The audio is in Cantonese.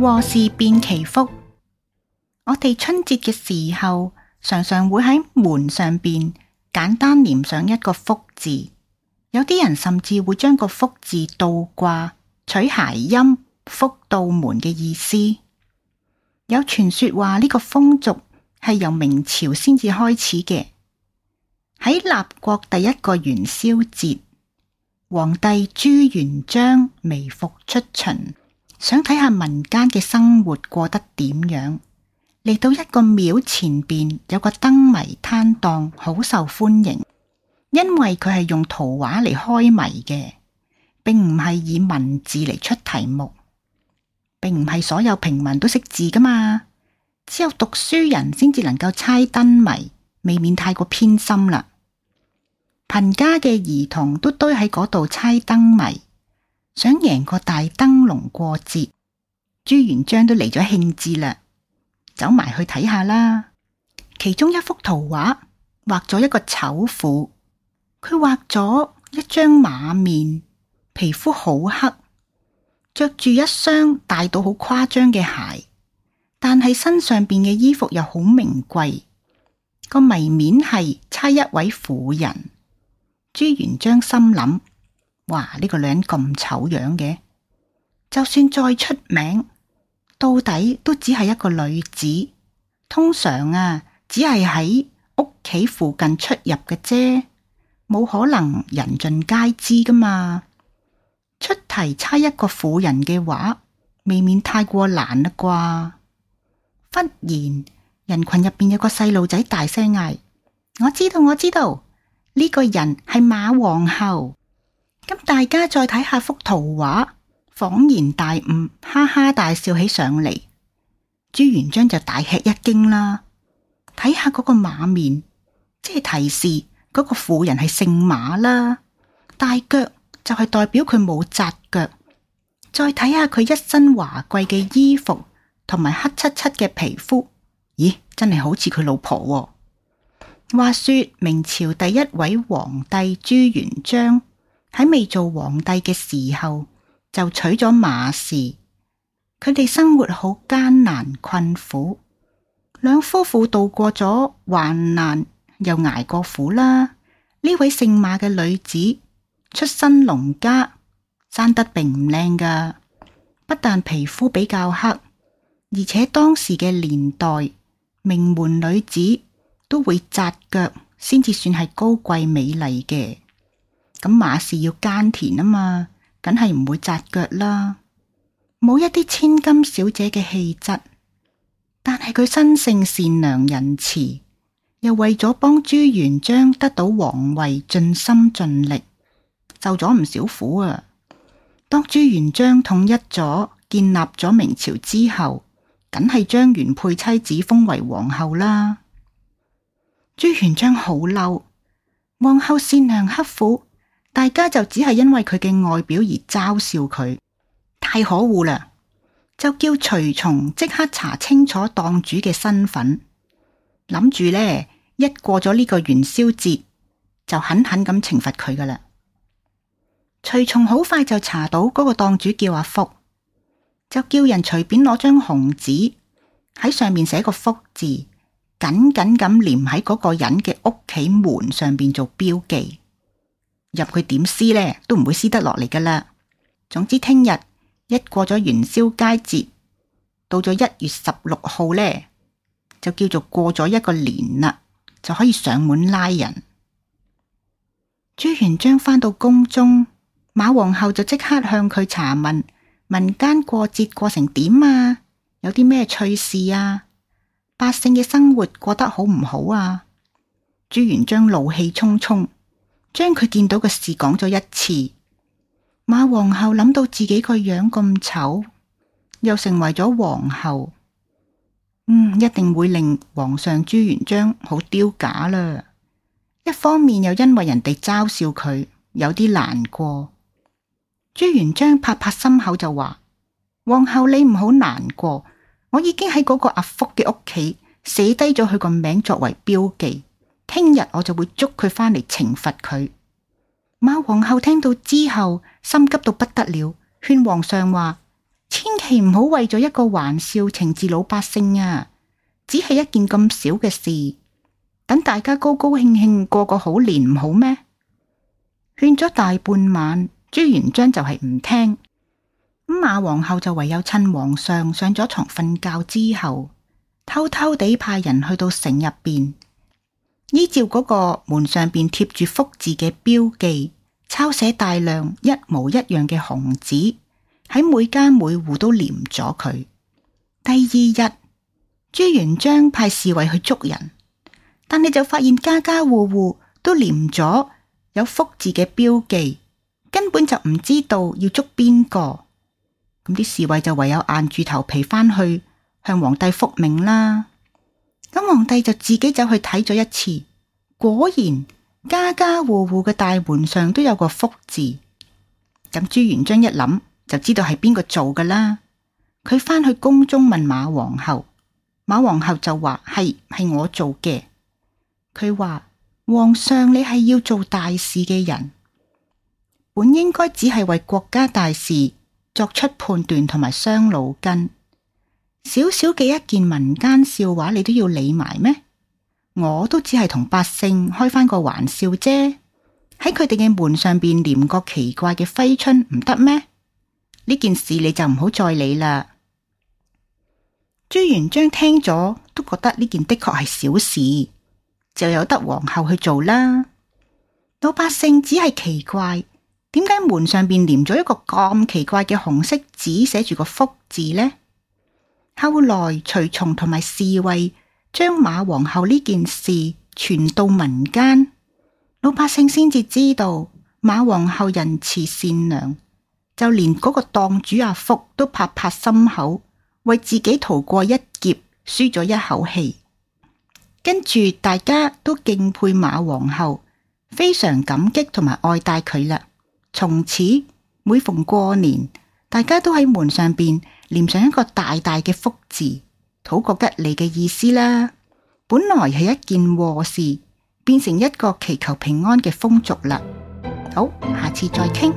禍事變祈福。我哋春節嘅時候，常常會喺門上邊簡單黏上一個福字，有啲人甚至會將個福字倒掛，取諧音福到門嘅意思。有傳說話呢個風俗係由明朝先至開始嘅。喺立國第一個元宵節，皇帝朱元璋微服出巡，想睇下民間嘅生活過得點樣。嚟到一個廟前邊，有個燈謎攤檔，好受歡迎，因為佢係用圖畫嚟開謎嘅，並唔係以文字嚟出題目，並唔係所有平民都識字噶嘛，只有讀書人先至能夠猜燈謎，未免太過偏心啦。貧家嘅兒童都堆喺嗰度猜燈謎，想贏個大燈籠過節。朱元璋都嚟咗興致啦，走埋去睇下啦。其中一幅圖畫畫咗一個醜婦，佢畫咗一張馬面，皮膚好黑，着住一雙大到好誇張嘅鞋，但係身上邊嘅衣服又好名貴。個謎面係猜一位婦人。朱元璋心諗：哇，呢個女人咁醜樣嘅，就算再出名，到底都只係一個女子，通常只係喺屋企附近出入嘅啫，冇可能人盡皆知噶嘛。出題猜一個婦人嘅話，未免太過難啦啩。忽然人群入邊有個細路仔大聲嗌：我知道，我知道。呢個人係馬皇后。咁大家再睇下幅圖畫，恍然大悟，哈哈大笑起上嚟。朱元璋就大吃一驚啦。睇下嗰個馬面，即係提示嗰個婦人係姓馬啦。大腳就係代表佢冇紮腳。再睇下佢一身華貴嘅衣服同埋黑漆漆嘅皮膚，咦，真係好似佢老婆喎。話說明朝第一位皇帝朱元璋喺未做皇帝嘅時候就娶咗馬氏，佢哋生活好艱難困苦，兩夫婦度過咗患難又捱過苦啦。呢位姓馬嘅女子出身農家，生得並唔靚噶，不但皮膚比較黑，而且當時嘅年代名門女子都會紮腳先至算係高貴美麗嘅。咁馬氏要耕田啊嘛，梗係唔會紮腳啦，冇一啲千金小姐嘅氣質。但係佢生性善良仁慈，又為咗幫朱元璋得到皇位盡心盡力，受咗唔少苦啊。當朱元璋統一咗建立咗明朝之後，梗係將原配妻子封為皇后啦。朱元璋好嬲，皇后善良刻苦，大家就只係因為佢嘅外表而嘲笑佢，太可惡啦！就叫隨從即刻查清楚檔主嘅身份，諗住呢，一過咗呢個元宵節就狠狠咁懲罰佢噶啦。隨從好快就查到嗰個檔主叫阿福，就叫人隨便攞張紅紙喺上面寫個福字，緊緊咁黏喺嗰個人嘅屋企門上邊做標記，入去點撕呢都唔會撕得落嚟噶啦。總之聽日一過咗元宵佳節，到咗1月16號呢，就叫做過咗一個年啦，就可以上門拉人。朱元璋返到宮中，馬皇后就即刻向佢查問民間過節過成點啊，有啲咩趣事啊，百姓嘅生活過得好唔好啊？朱元璋怒氣沖沖，將佢見到嘅事講咗一次。馬皇后諗到自己個樣咁醜，又成為咗皇后，一定會令皇上朱元璋好丟架啦。一方面又因為人哋嘲笑佢，有啲難過。朱元璋拍拍心口就話：皇后你唔好難過，我已經喺嗰個阿福嘅屋企寫低咗佢個名作為標記，聽日我就會捉佢返嚟懲罰佢。馬皇后聽到之後，心急到不得了，勸皇上話：千祈唔好為咗一個玩笑懲治老百姓啊！只係一件咁小嘅事，等大家高高興興過個好年唔好咩？勸咗大半晚，朱元璋就係唔聽。咁馬皇后就唯有趁皇上上咗床瞓覺之後，偷偷地派人去到城入邊，依照嗰個門上邊貼住福字嘅標記，抄寫大量一模一樣嘅紅紙，喺每家每戶都黏咗佢。第二日，朱元璋派侍衛去捉人，但你就發現家家戶戶都黏咗有福字嘅標記，根本就唔知道要捉邊個。咁啲侍衛就唯有硬住頭皮返去向皇帝復命啦。咁皇帝就自己走去睇咗一次，果然家家戶戶嘅大門上都有個福字。咁朱元璋一諗就知道係邊個做㗎啦。佢返去宮中問馬皇后，馬皇后就話係我做嘅。佢話皇上，你係要做大事嘅人，本應該只係為國家大事作出判斷同埋傷腦筋，小小嘅一件民間笑話你都要理埋咩？我都只係同百姓開返個玩笑啫，喺佢哋嘅門上邊黏個奇怪嘅揮春唔得咩？呢件事你就唔好再理啦。朱元璋聽咗都覺得呢件的確係小事，就由得皇后去做啦。老百姓只係奇怪，點解門上邊黏咗一個咁奇怪嘅紅色紙寫住個福字呢？後來隨從同埋侍衛將馬皇后呢件事傳到民間，老百姓先至知道馬皇后仁慈善良，就連嗰個檔主阿福都拍拍心口，為自己逃過一劫舒咗一口氣。跟住大家都敬佩馬皇后，非常感激同埋愛戴佢啦。從此每逢過年，大家都喺門上邊黏上一個大大嘅福字，討個吉利嘅意思啦。本來係一件禍事，變成一個祈求平安嘅風俗啦。好，下次再傾。